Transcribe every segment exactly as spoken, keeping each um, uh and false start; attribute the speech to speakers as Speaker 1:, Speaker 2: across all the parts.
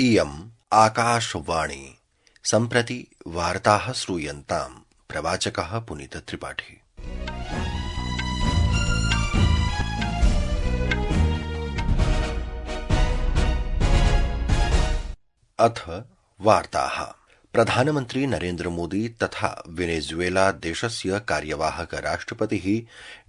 Speaker 1: इयम् आकाशवाणी सम्प्रति वार्ताः श्रूयन्ताम्। प्रवाचकः पुनीत त्रिपाठी। अथ वार्ताः। प्रधानमन्त्री नरेन्द्र मोदी तथा वेनेजुएला देशस्य कार्यवाहक राष्ट्रपतिः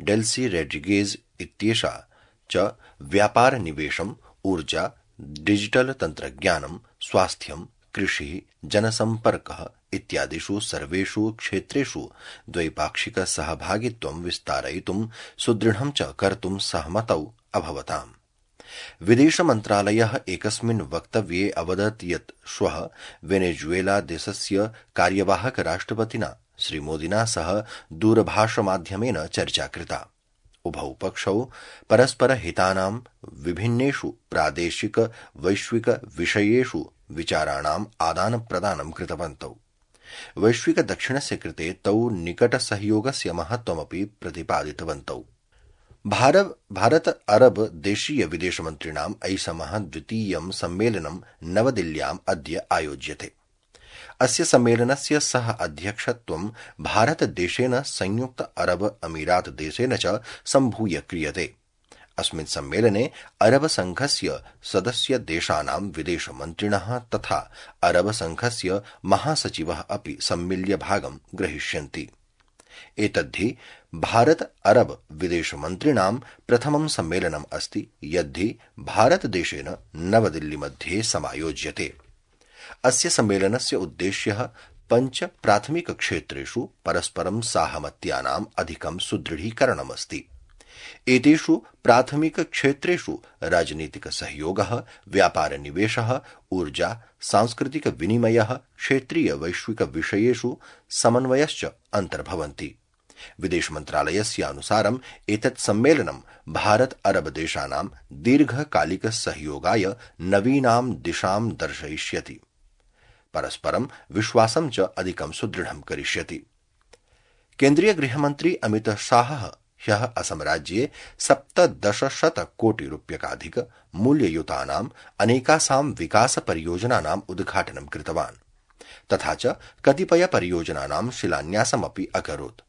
Speaker 1: डेल्सी रोड्रिगेज इत्येषा च व्यापार निवेशम्, ऊर्जा, डिजिटल तन्त्रज्ञानं, स्वास्थ्यं, कृषिः, जनसम्पर्कः इत्यादिषु सर्वेषु क्षेत्रेषु द्वैपाक्षिक सहभागित्वं विस्तारयितुं सुदृढं च कर्तुं सहमतौ अभवताम्। विदेश मन्त्रालयः एकस्मिन् वक्तव्ये अवदत् यत् श्वः वेनेजुएला देशस्य कार्यवाहक राष्ट्रपतिना श्रीमोदिना सह दूरभाषमाध्यमेन चर्चा कृता। उभौ पक्षौ परस्पर हितानां विभिन्नेषु प्रादेशिक वैश्विक विषयेषु विचाराणाम् आदानप्रदानं कृतवन्तौ। वैश्विक दक्षिणस्य कृते तौ निकट सहयोगस्य महत्त्वमपि प्रतिपादितवन्तौ। भारत अरब देशीय विदेशमन्त्रिणाम् ऐषमः द्वितीयं सम्मेलनं नवदिल्ल्याम् अद्य आयोज्यते। अस्य सम्मेलनस्य सह अध्यक्षत्वं भारतदेशेन संयुक्त अरब अमीरात देशेन च सम्भूय क्रियते। अस्मिन् सम्मेलने अरब संघस्य सदस्य देशानां विदेशमन्त्रिणः तथा अरब संघस्य महासचिवः अपि सम्मिल्य भागं ग्रहीष्यन्ति। एतद्धि भारत अरब विदेशमन्त्रिणां प्रथमं सम्मेलनम् अस्ति यद्धि भारतदेशेन नवदिल्लीमध्ये समायोज्यते। अस्य सम्मेलनस्य उद्देश्यः पञ्च प्राथमिक क्षेत्रेषु परस्परं साहमत्यानाम् अधिकं सुदृढीकरणमस्ति। एतेषु प्राथमिक क्षेत्रेषु राजनीतिक सहयोगः, व्यापार निवेशः, ऊर्जा, सांस्कृतिक विनिमयः, क्षेत्रीय वैश्विक विषयेषु समन्वयश्च अन्तर्भवन्ति। विदेश मन्त्रालयस्य अनुसारम् एतत् सम्मेलनं भारत अरब देशानां दीर्घकालिक सहयोगाय नवीनां दिशां दर्शयिष्यति, परस्परं विश्वासं च अधिकं सुदृढं करिष्यति। केन्द्रीय गृहमन्त्री अमित शाहः ह्यः असम राज्ये सप्तदशशत कोटि रूप्यकाधिक मूल्ययुतानाम् अनेकासां विकास परियोजनानाम् उद्घाटनं कृतवान् तथा च कतिपय परियोजनानां शिलान्यासमपि अकरोत्।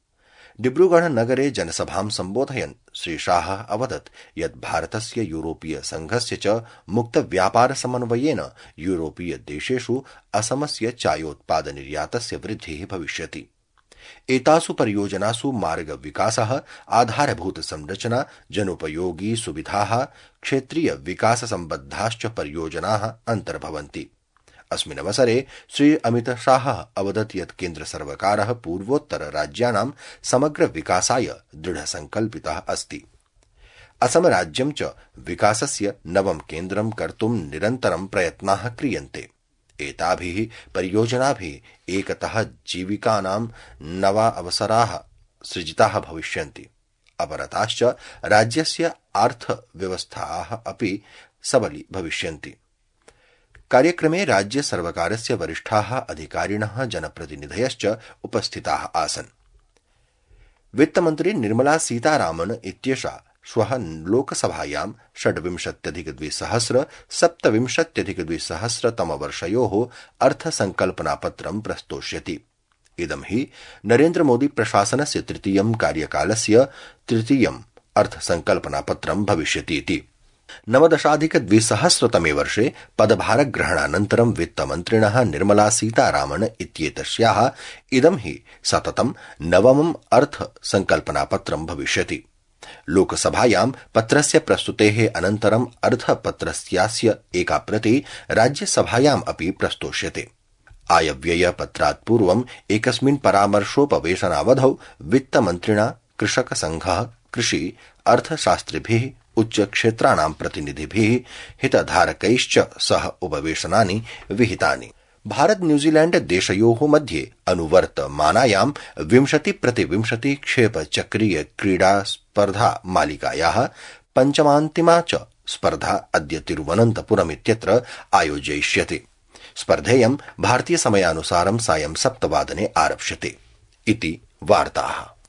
Speaker 1: डिब्रूगढ़ नगरे जनसभां सम्बोधयन् श्री शाहः अवदत् यत् भारतस्य यूरोपीय संघस्य च मुक्त व्यापार समन्वयेन यूरोपीय देशेषु असमस्य चायोत्पाद निर्यातस्य वृद्धिः भविष्यति। एतासु परियोजनासु मार्ग विकासः, आधारभूत संरचना, जनोपयोगी सुविधाः, क्षेत्रीय विकास सम्बद्धाश्च परियोजनाः अन्तर्भवन्ति। अस्मिन् अवसरे श्री अमित शाहः अवदत् यत् केन्द्र सर्वकारः पूर्वोत्तर राज्यानां समग्र विकासाय दृढसंकल्पितः अस्ति। असम राज्यं च विकासस्य नवं केन्द्रं कर्तुं निरन्तरं प्रयत्नाः क्रियन्ते। एताभिः परियोजनाभिः एकतः जीविकानां नवा अवसराः सृजिताः भविष्यन्ति, अपरताश्च राज्यस्य अर्थव्यवस्थाः अपि सबली भविष्यन्ति। कार्यक्रमे राज्य सर्वकारस्य वरिष्ठाः अधिकारिणः, जनप्रतिनिधयश्च उपस्थिताः आसन्। वित्तमन्त्री निर्मला सीतारामन इत्येषा श्वः लोकसभायां षड्विंशत्यधिकद्विसहस्र सप्तविंशत्यधिकद्विसहस्रतमवर्षयोः अर्थसंकल्पनापत्रं प्रस्तोष्यति। इदं हि नरेन्द्र मोदी प्रशासनस्य तृतीयं कार्यकालस्य तृतीयम् अर्थसंकल्पनापत्रं भविष्यतीति। नवदशाधिकद्विसहस्रतमे वर्षे पदभारग्रहणानन्तरं वित्तमन्त्रिणः निर्मला सीतारामन इत्येतस्याः इदं हि सततं नवमम् अर्थसंकल्पनापत्रं भविष्यति। लोकसभायां पत्रस्य प्रस्तुतेः अनन्तरम् अर्थपत्रस्यास्य एका प्रति राज्यसभायाम् अपि प्रस्तोष्यते। आयव्ययपत्रात् पूर्वम् एकस्मिन् परामर्शोपवेशनावधौ वित्तमन्त्रिणा कृषकसङ्घः, कृषि अर्थशास्त्रिभिः, उच्चक्षेत्राणां प्रतिनिधिभिः, हितधारकैश्च सह उपवेशनानि विहितानि। भारत न्यूजीलैंड देशयोः मध्ये अनुवर्तमानायां विंशति प्रति विंशति क्षेप चक्रीय क्रीडा स्पर्धा मालिकायाः पञ्चमान्तिमा च स्पर्धा अद्य तिरुवनन्तपुरम् इत्यत्र आयोजयिष्यते। स्पर्धेयं भारतीय समयानुसारं सायं सप्तवादने आरप्स्यते। इति वार्ताः।